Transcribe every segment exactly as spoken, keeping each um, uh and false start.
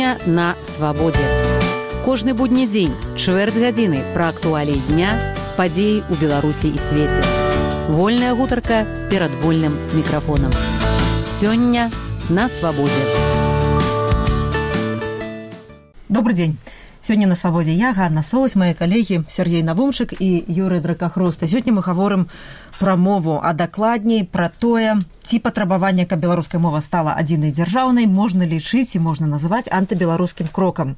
Сёння на свабодзе. Кожны будні дзень, чвэрць гадзіны пра актуаліі дня, падзеі ў Беларусі і свеце. Вольная гутарка перад вольным мікрафонам. Сёння на свабодзе. Добрый день. Сегодня на свободе я, Ганна Соус, мои коллеги Сергей Навумшик и Юрий Дракахрост. И сегодня мы говорим про мову, а докладней про тое, ці патрабаванне, каб беларуская мова стала адзінай дзяржаўнай, можна лічыць і можна называць антыбеларускім крокам.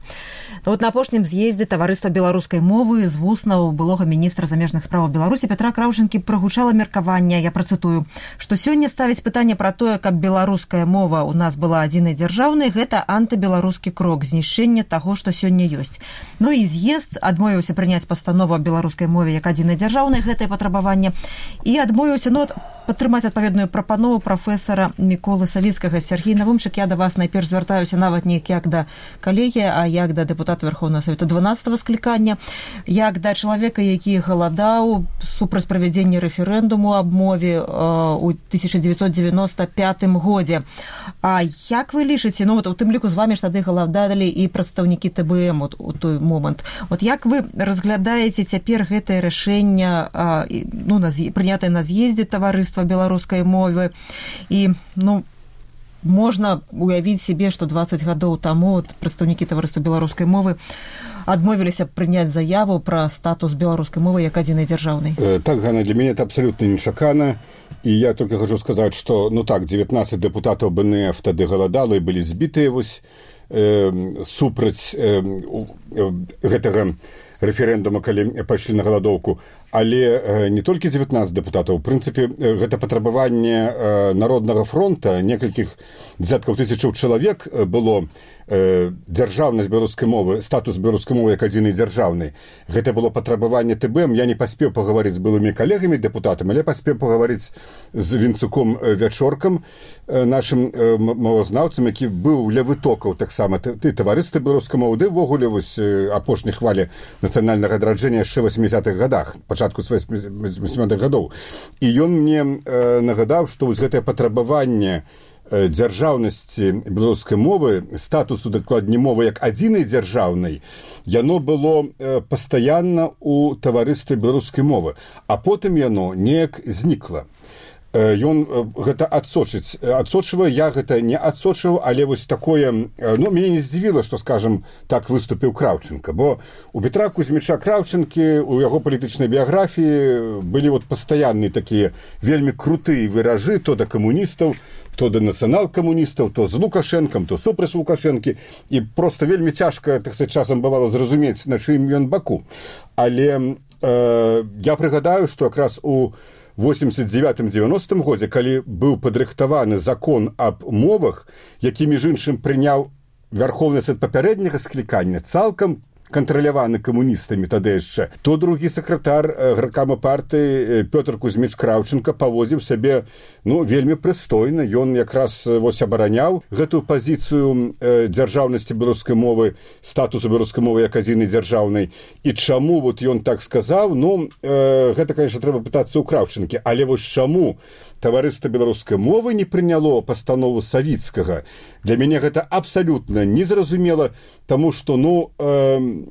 Вот на апошнім з'ездзе таварыства беларускай мовы з вуснаў былога міністра замежных справаў Беларусі Пятра Краўчынкі прагучала меркаванне, я працытую, што сёння ставіць пытанне пра тое, каб беларуская мова у нас была адзінай дзяржаўнай, гэта антыбеларускі крок, знішчэнне таго, што сёння ёсць. Ну і з'езд адмовіўся прыняць пастанову аб беларускай мове як адзінай дзяржаўнай, гэтае патрабаванне, і адмовіўся, ну, падтрымаць адпаведную прапанову прафесара Міколы Савіцкага. Сергей Навумшик, я да вас найперш звяртаюся нават не як да калегі, а як да дэпутата Верховного Савету дванаццатага склікання, як да чалавека, які галадаў супраць правядзення рэферэндуму аб мове ў тысяча дзевяцьсот дзевяноста пятым годзе. А як вы лічыце, ну вот у тым ліку з вамі ж тады галадалі і прадстаўнікі Тэ Бэ Эм у той момант. Вот як вы разглядаеце цяпер гэтае рашэнне, ну, прынятае на з'ездзе таварыства беларускай мовы, і, ну, можна уявіць себе, што дваццаць гадоў таму прадстаўнікі таварыства беларускай мовы адмовіліся прыняць заяву пра статус беларускай мовы як адзінай дзяржаўнай. Э, так, Ганна, для мяне это абсолютно нечакана, і я только хочу сказаць, што, ну так, девятнадцать депутатаў Бэ Эн Эф тады галадала і былі збітыя вось э, супраць э, э, гэтага рэферэндума, калі пайшлі на галадоўку, але не толькі девятнадцать дэпутатаў. У прынцыпе, гэта патрабаванне Народнага фронта, некалькіх дзяткаў тысячаў чалавек было дзяржаўнасць беларускай мовы, статус беларускай мовы як адзінай дзяржаўнай. Гэта было патрабаванне Тэ Бэ Эм. Я не паспеў пагаварыць з былымі калегамі дэпутатамі, але паспеў пагаварыць з Вінцуком Вячоркам, нашым мовазнаўцам, які быў ля вытокаў таксама ты таварыства беларускай мовы, ды ўвогуле вось апошняй хвалі нацыянальнага адраджэння яшчэ васьмідзесятых гадах, пачатку з васьмідзесятых гадоў. І ён мне нагадаў, што вось гэтае патрабаванне дзяржаўнасці беларускай мовы, статусу дакладней мовы як адзінай дзяржаўнай, яно было пастаянна ў таварыстве беларускай мовы, а потым яно неяк знікла. Ён гэта адсочыць, адсочвае, я гэта не адсочыў, але вось такое, ну, мяне не здзівіла, што, скажам, так выступіў Краўчынка, бо у Петра Кузьміча Краўчынкі, у яго палітычнай біяграфіі былі вот пастаянныя такія вельмі крутыя выражы то да камуністаў, то да нацыянал-камуністаў, то з Лукашэнкам, то супраць Лукашэнкі, і проста вельмі цяжка, так сказаць, часам бывала зразумець, на чыім ён баку. Але э, я прыгадаю, што якраз у восемьдесят девятым девяностым годзе, калі быў падрыхтаваны закон аб мовах, які, між іншым, прыняў Вярхоўны Сад папярэдняга склікання, цалкам кантраляваны камуністамі тады яшчэ, то другі сакратар гаркама партыі Пётр Кузьміч Краўчынка павозіў сябе, ну, вельмі прыстойна. Ён якраз вось абараняў гэтую пазіцыю э, дзяржаўнасці беларускай мовы, статусу беларускай мовы як адзінай дзяржаўнай. І чаму вот ён так сказаў, ну, э, гэта, конечно, трэба пытацца ў Краўчынкі, але вось чаму таварыства беларускай мовы не прыняло пастанову Савіцкага, для мяне гэта абсалютна незразумела, таму што, ну, э,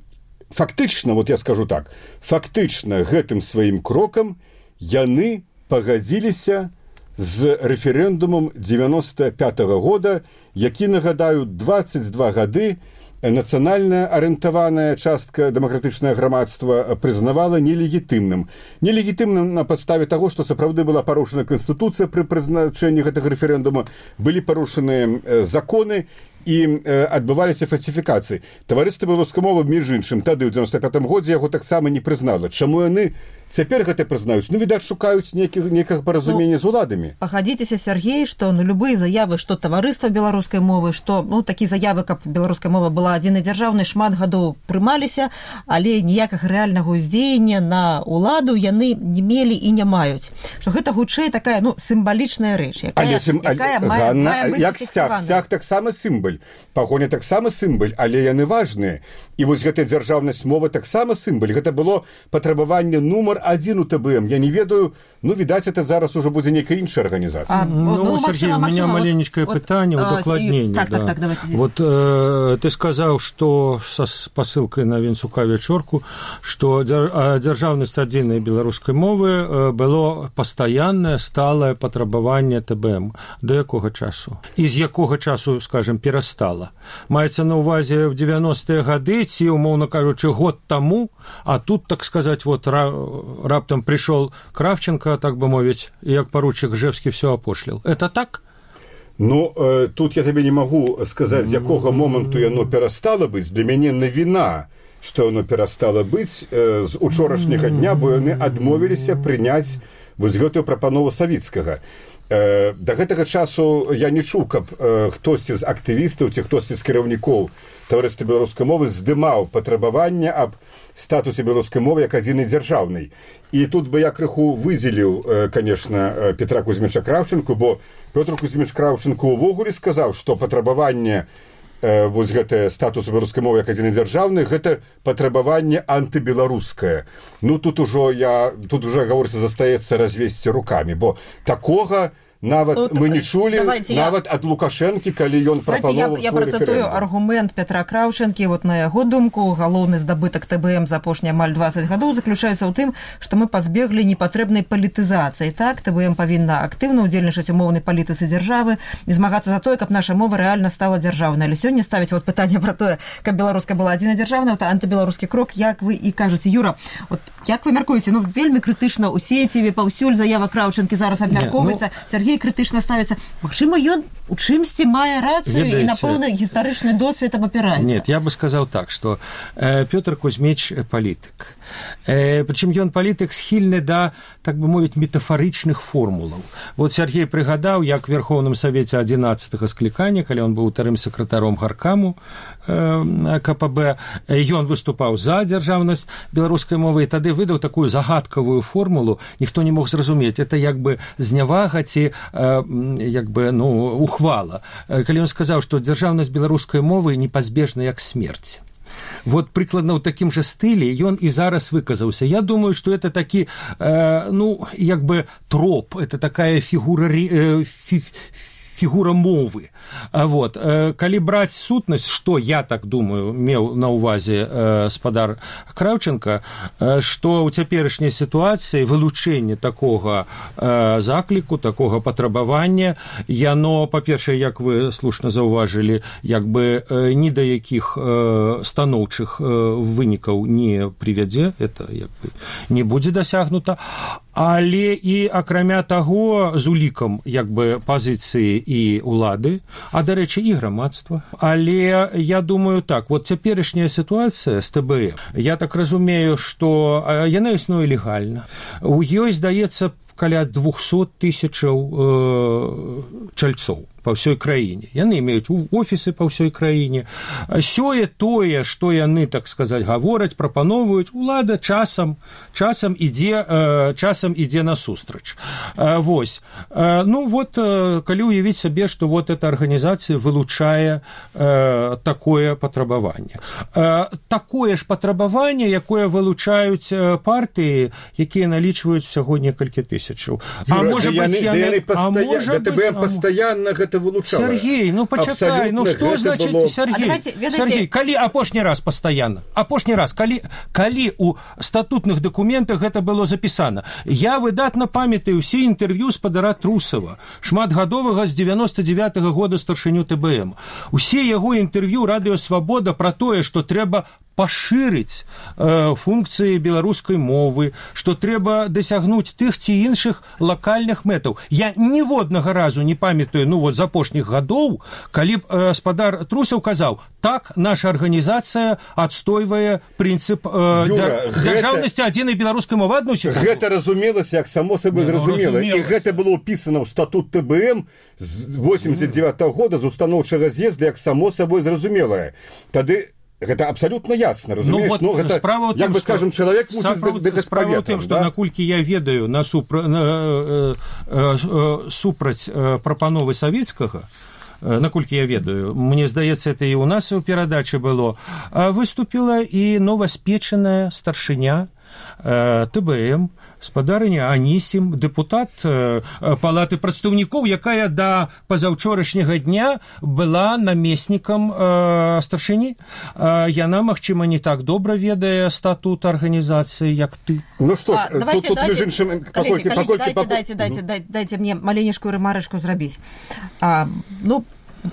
фактычна, вот я скажу так, фактычна гэтым сваім крокам яны пагадзіліся з рэферэндумам девяносто пятого года, які, нагадаю, двадцать два гады нацыянальная арыентаваная частка дэмакратычнае грамадства прызнавала нелегітымным. Нелегітымным на падставе таго, што сапраўды была парушана Канстытуцыя пры прызначэнні гэтага рэферэндума, былі парушаныя законы і адбываліся фальсіфікацыі. Таварыства беларускай мовы, між іншым, тады ў девяносто пятым годзе яго таксама не прызнала. Чаму яны цяпер гэта прызнаюць? Ну, відаць, шукаюць некага паразумення ну, з уладамі. Пагадзіцеся, Сергей, што ну, любыя заявы, што таварыства беларускай мовы, што ну, такія заявы, каб беларуская мова была адзінай дзяржаўнай, шмат гадоў прымаліся, але ніякага рэальнага ўздзеяння на уладу яны не мелі і не маюць. Што гэта хутчэй такая ну, сімвалічная рэч, якая, але, сім... якая але, мае, Ганна, мае быць як сцяг, сцяг таксама сімваль, пагоня таксама сімваль, але яны важныя. І вось гэтая дзяржаўнасць мовы таксама сімваль. Гэта было патрабаванне нумар нумар адзін у ТБМ, я не ведаю, ну, відаць, это зараз уже будзе нейкая іншая организация. А, ну, ну, Сергей, у меня маленечкое вот, питание, вот, удокладнение. Так, да. так, так, давайте. Вот э, ты сказал, что со посылкой на Венцука Вечорку, что державность адзінай беларускай мовы было постоянное, сталое патрабаванне ТБМ. До якога часу? І з якога часу, скажем, перестала? Маецца на увазе в девяностые гады, ці, умоўно кажучы, год тому, а тут, так сказать, вот раптом пришел Кравченко, так бы мовить, як поручик Жевский все опошлил. Это так? Ну, э, тут я тебе не могу сказать, з якога моменту яно перестало быть. Для мяне навіна, што яно перестало быть э, з учорашняга дня, бо яны адмовіліся прыняць вось гэтую прапанову Савіцкага. Э, да гэтага часу я не чуў, каб э, хтосьці з актывістаў ці хтосьці з кіраўнікоў таварыства беларускай мовы здымаў патрабаванне аб статусе беларускай мовы як адзінай дзяржаўнай. І тут бы я крыху выдзеліў, э, конечно, Петра Кузьміча Кравченку, бо Петр Кузьміч Кравченко ўвогуле сказаў, што патрабаванне э, вось гэтае статусу беларускай мовы як адзінай дзяржаўнай, гэта патрабаванне антыбеларускае. Ну, тут ужо я, тут уже, гаворыцца, застаецца развесці рукамі, бо такога нават вот, мы не чулі, нават я... ад Лукашэнкі, калі ён прапановаў я, я працатую аргумент Петра Краўчэнкі, вот на яго думку, галоўны здабытак ТБМ за апошнія амаль дваццаць гадоў заключаецца ў тым, што мы пазбеглі непатрэбнай палітызацыі. Так, ТБМ павінна актыўна ўдзельнічаць у моўнай палітыцы дзяржавы і змагацца за тое, каб наша мова рэальна стала дзяржаўнай. Але сёння ставіць вот пытанне пра тое, каб беларуская была адзінай дзяржаўнай, это антыбеларускі крок, як вы і кажаце. Юра, вот як вы мяркуеце, ну вельмі крытычна ў сеціве паўсюль заява Краўчэнкі зараз абмяркоўваецца. Ну... Сергей крытычна ставіцца. Магчыма, ён у чымсьці мае рацыю і на пэўны гістарычны досвед абапіраецца. Нет, я бы сказал так, что э, Петр Кузьміч палітык. Э, причым ён палітык схільны да, так бы мовіць, метафарычных формулаў. Вот Сергей прыгадаў, як в Верховном Совете адзінаццатага склікання, калі он быў утарым сакратаром гаркаму э, КПБ, ён выступаў за дзяржаўнасць беларускай мовы, і тады выдаў такую загадкавую формулу, ніхто не мог зразумець. Это як бы знявага ці э, як бы, ну, ухвала. Калі ён сказаў, што дзяржаўнасць беларускай мовы непазбежна як смерць. Вот прыкладна ў такім жа стылі ён і зараз выказаўся. Я думаю, што это такі, э, ну, як бы троп, это такая фігура, э, фі, фігура мовы. Вот. Калі браць сутнасць, што я так думаю, меў на ўвазе э, спадар Краўченка, э, што ў цяперашняй сітуацыі вылучэнне такога э, закліку, такога патрабавання, яно, па-першае, як вы слушна заўважылі, як бы э, ні да якіх э, станоўчых э, вынікаў не прывядзе, это як бы не будзе дасягнута, але і акрамя таго з улікам як бы пазіцыі і улады, а, дарэчы, і грамадства. Але я думаю так, вот цяперашняя сітуацыя з ТБМ, я так разумею, што яна існуе легальна. У ёй, здаецца, каля двухсот тысячаў э, чальцоў па ўсёй краіне. Яны имеюць офісы па ўсёй краіне. Сёе тое, што яны, так сказаць, гавораць, прапановваюць, улада часам, часам ідзе, э, часам ідзе насустрач. Э, вось. Э, ну вот, э, калі уявіць сабе, што вот эта арганізацыя вылучае э, такое патрабаванне. Э, такое ж патрабаванне, якое вылучаюць партыі, якія налічваюць всяго некалькі тысячаў. А можа быць, яны пастаянна гэта вылучала. Сергей, ну почакай, ну что значит, было... Сергей, давайте, Сергей, калі апошні раз пастаянна, апошні раз, калі, калі у статутных дакументах гэта было запісана. Я выдатна памятаю ўсе інтэрв'ю спадара Трусава, шматгадовага з девяносто девятого года старшыню ТБМ. Усе яго інтэрв'ю Радыё Свабода пра тое, што трэба пашырыць э, функцыі беларускай мовы, што трэба дасягнуць тых ці іншых лакальных мэтаў. Я ніводнага разу не памятаю, ну вот з апошніх гадоў, калі б э, спадар Трусаў казаў, так, наша арганізацыя адстойвае прынцып э, дзяр... дзяржаўнасці адзінай беларускай мовы. Адну секунду. Гэта разумелася, як само сабой зразумела. І гэта было ўпісана ў статут ТБМ з восемьдесят девятого года з устаноўчага з'езда, як само сабой зразумелае. Тады гэта абсолютно ясна, разумееш? Ну, вот, ну, гэта, справа як бы, скажем, чалавек мусіць быць справа ў тым, што, да? Наколькі я ведаю на супра... на, э, э, э, супраць э, прапановы Савіцкага, э, наколькі я ведаю, мне здаецца, это і ў нас у перадачы было, выступіла і новаспечаная старшыня Тэ Бэ Эм, спадарыня Анісім, дэпутат Палаты прадстаўнікоў, якая да пазаўчорашняга дня была намеснікам старшыні. Яна, магчыма, не так добра ведае статут арганізацыі, як ты. Ну што ж, а, давайте, тут, тут давайте, іншым... коллеги, Паколькі, коллеги, паколькі, дайте, паколькі... дайте, дайте, дайте, дайте мне маленечкую ремарочку зрабіць. А, ну,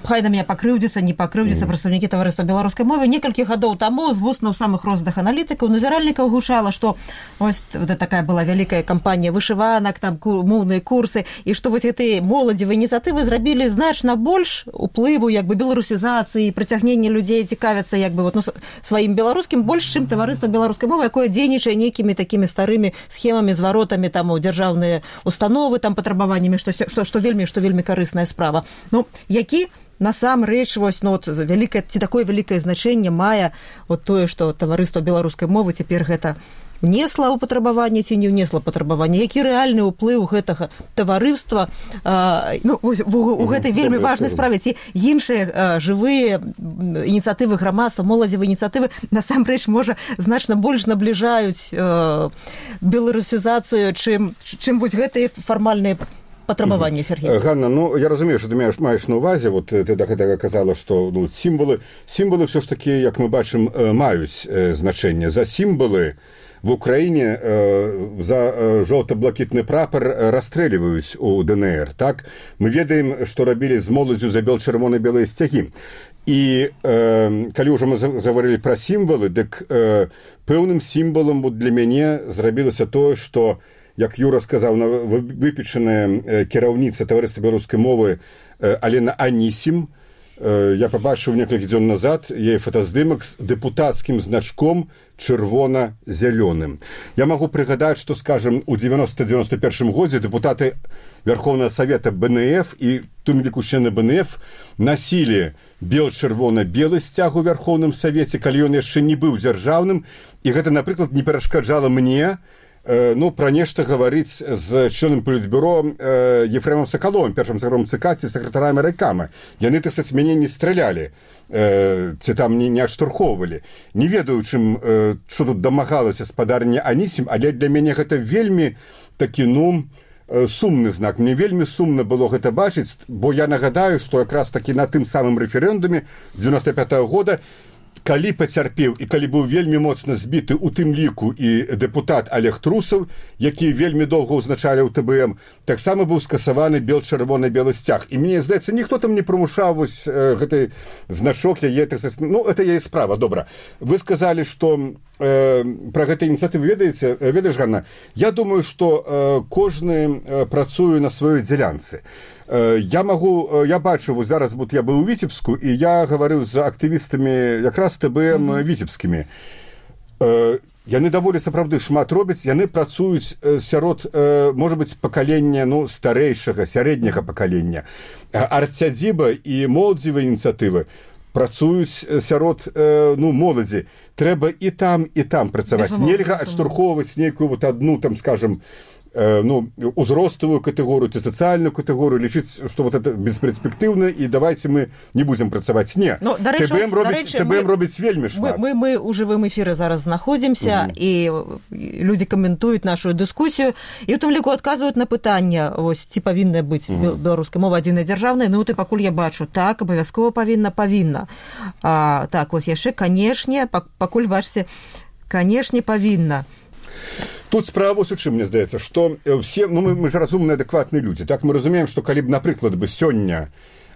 хай на меня пакрыўдзіцца, не пакрыўдзіцца, mm. прадстаўнікі таварыства беларускай мовы. Некалькі гадоў таму з вуснаў самых розных аналітыкаў, назіральнікаў гучала, што вось вот такая была вялікая кампанія вышыванак, там моўныя курсы, і што вось гэтыя моладзевыя ініцыятывы зрабілі значна больш уплыву як бы беларусізацыі, прыцягнення людзей цікавяцца як бы вот, ну, сваім беларускім больш, чым таварыства беларускай мовы, якое дзейнічае нейкімі такімі старымі схемамі, зваротамі там у дзяржаўныя установы, там патрабаваннямі, што, што, што вельмі, што вельмі карысная справа. Ну, які насамрэч вось ну вот вялікае ці такое вялікае значэнне мае вот тое, што таварыства беларускай мовы цяпер гэта внесла ў патрабаванне ці не внесла патрабаванне, які рэальны ўплыў гэтага таварыства а, ну, у, у, у гэтай вельмі важнай справе, ці іншыя а, жывыя ініцыятывы грамадства, моладзевыя ініцыятывы насамрэч можа значна больш набліжаюць а, беларусізацыю, чым чым вось гэтыя фармальныя патрабаванне, Сергей. Ганна, ну, я разумею, что ты маеш, маеш на увазе, вот ты да гэтага казала, што ну, сімвалы, сімвалы все ж таки, як мы бачым, маюць э, значэнне. За сімвалы в Украіне э, за э, жоўта-блакітны прапар расстрэльваюць у Дэ Эн Эр, так? Мы ведаем, што рабілі з моладзю за бел-чырвона-белыя сцягі. І э, калі ўжо мы загаварылі пра сімвалы, дык э, пэўным сімвалам для мяне зрабілася тое, што як Юра сказаў, выпечаная кіраўніца таварыства беларускай мовы Алена Анісім. Я пабачыў некалькі дзён назад яе фотаздымак з дэпутацкім значком чырвона-зялёным. Я магу прыгадаць, што, скажем, у дзевяноста дзевяноста першым годзе дэпутаты Верховнага Савета Бэ Эн Эф і тым ліку члены Бэ Эн Эф насілі бел-чырвона-белы сцяг у Верховным Савеце, калі ён яшчэ не быў дзяржаўным, і гэта, напрыклад, не перашкаджала мне ну, пра нешта гаварыць з членам палітбюро э, Ефремом Сакаловым, першым сакратаром ЦК ці сакратарам райкама. Яны, так сказаць, мяне не стралялі, э, ці там не, не адштурхоўвалі. Не ведаю, чым, э, што тут дамагалася спадарня Анісім, але для мяне гэта вельмі такі, ну, э, сумны знак. Мне вельмі сумна было гэта бачыць, бо я нагадаю, што якраз такі на тым самым рэферэндуме дзевяноста пятага года калі пацярпеў і калі быў вельмі моцна збіты у тым ліку і дэпутат Олег Трусаў, які вельмі доўга ўзначалі ў Тэ Бэ Эм, таксама быў скасаваны бел-чырвона-белы сцяг. І мне здаецца, ніхто там не прымушаў вось э, гэты значок яе, так сказаць, ну, это яе справа, добра. Вы сказалі, што э, пра гэтай ініцыятывы ведаеце, ведаеш, Ганна, я думаю, што э, кожны э, працуе на сваёй дзялянцы. Я магу, я бачу, вось зараз вот я быў у Віцебску, і я гаварыў з актывістамі якраз Тэ Бэ Эм mm-hmm. віцебскімі. Яны даволі сапраўды шмат робяць, яны працуюць сярод, можа быць, пакалення, ну, старэйшага, сярэдняга пакалення. Арцядзіба і моладзевыя ініцыятывы працуюць сярод, ну, моладзі. Трэба і там, і там працаваць. Нельга адштурхоўваць нейкую вот одну, там, скажем, ну, узростовую катэгорыю ці сацыяльную катэгорыю, лічыць, што вот это бесперспектыўна, і давайте мы не будзем працаваць. Не, ну, Тэ Бэ Эм робіць, Тэ Бэ Эм робіць вельмі шмат. Мы, мы, мы у жывым эфіры зараз знаходзімся, mm-hmm. і людзі каментуюць нашу дыскусію, і ў тым ліку адказваюць на пытанне, ось, ці павінна быць mm-hmm. беларуская мова адзінай дзяржаўнай. Ну, ты пакуль я бачу, так, абавязкова павінна, павінна. А, так, ось яшчэ, канешне, пакуль бачыце, канешне, павінна. Тут справа вось у чым, мне здаецца, што все, ну, мы, мы ж разумныя, адэкватныя людзі. Так, мы разумеем, што калі б, напрыклад, бы сёння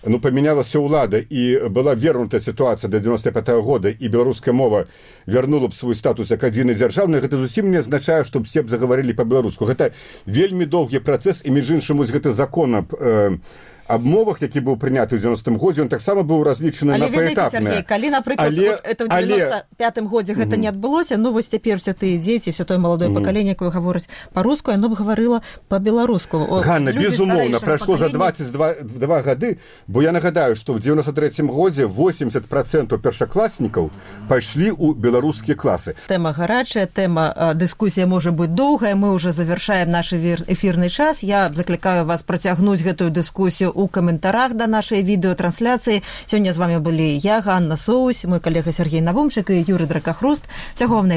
ну, памянялася ўлада і была вернутая сітуацыя да дзевяноста пятага года, і беларуская мова вярнула б свой статус як адзінай дзяржаўнай, гэта зусім не азначае, што все б загаварылі па-беларуску. Гэта вельмі доўгі працэс, і між іншым, вось гэта закон аб э, аб мовах, які быў прыняты ў дзевяностым годзе, ён таксама быў разлічаны на паэтапнае. Сергей, калі, напрыклад, але, вот это ў дзевяноста пятым годзе гэта mm-hmm. не адбылося, ну вось цяпер все тыя дзеці, все тое маладое mm-hmm. пакаленне, якое гаворыць па-руску, яно б гаварыла па-беларуску. Ганна, безумоўна, прайшло за дваццаць два гады, бо я нагадаю, што ў дзевяноста трэцім годзе восемьдесят процентов першакласнікаў пайшлі ў беларускія класы. Тэма гарачая, тэма дыскусія можа быць доўгая, мы ўжо завяршаем наш эфірны час. Я заклікаю вас працягнуць гэтую дыскусію у каментарах да нашай відэатрансляцыі. Сёння з вами былі я, Ганна Соусь, мой калега Сергей Навумчык і Юрый Дракахруст. Всяго вам найлепшага.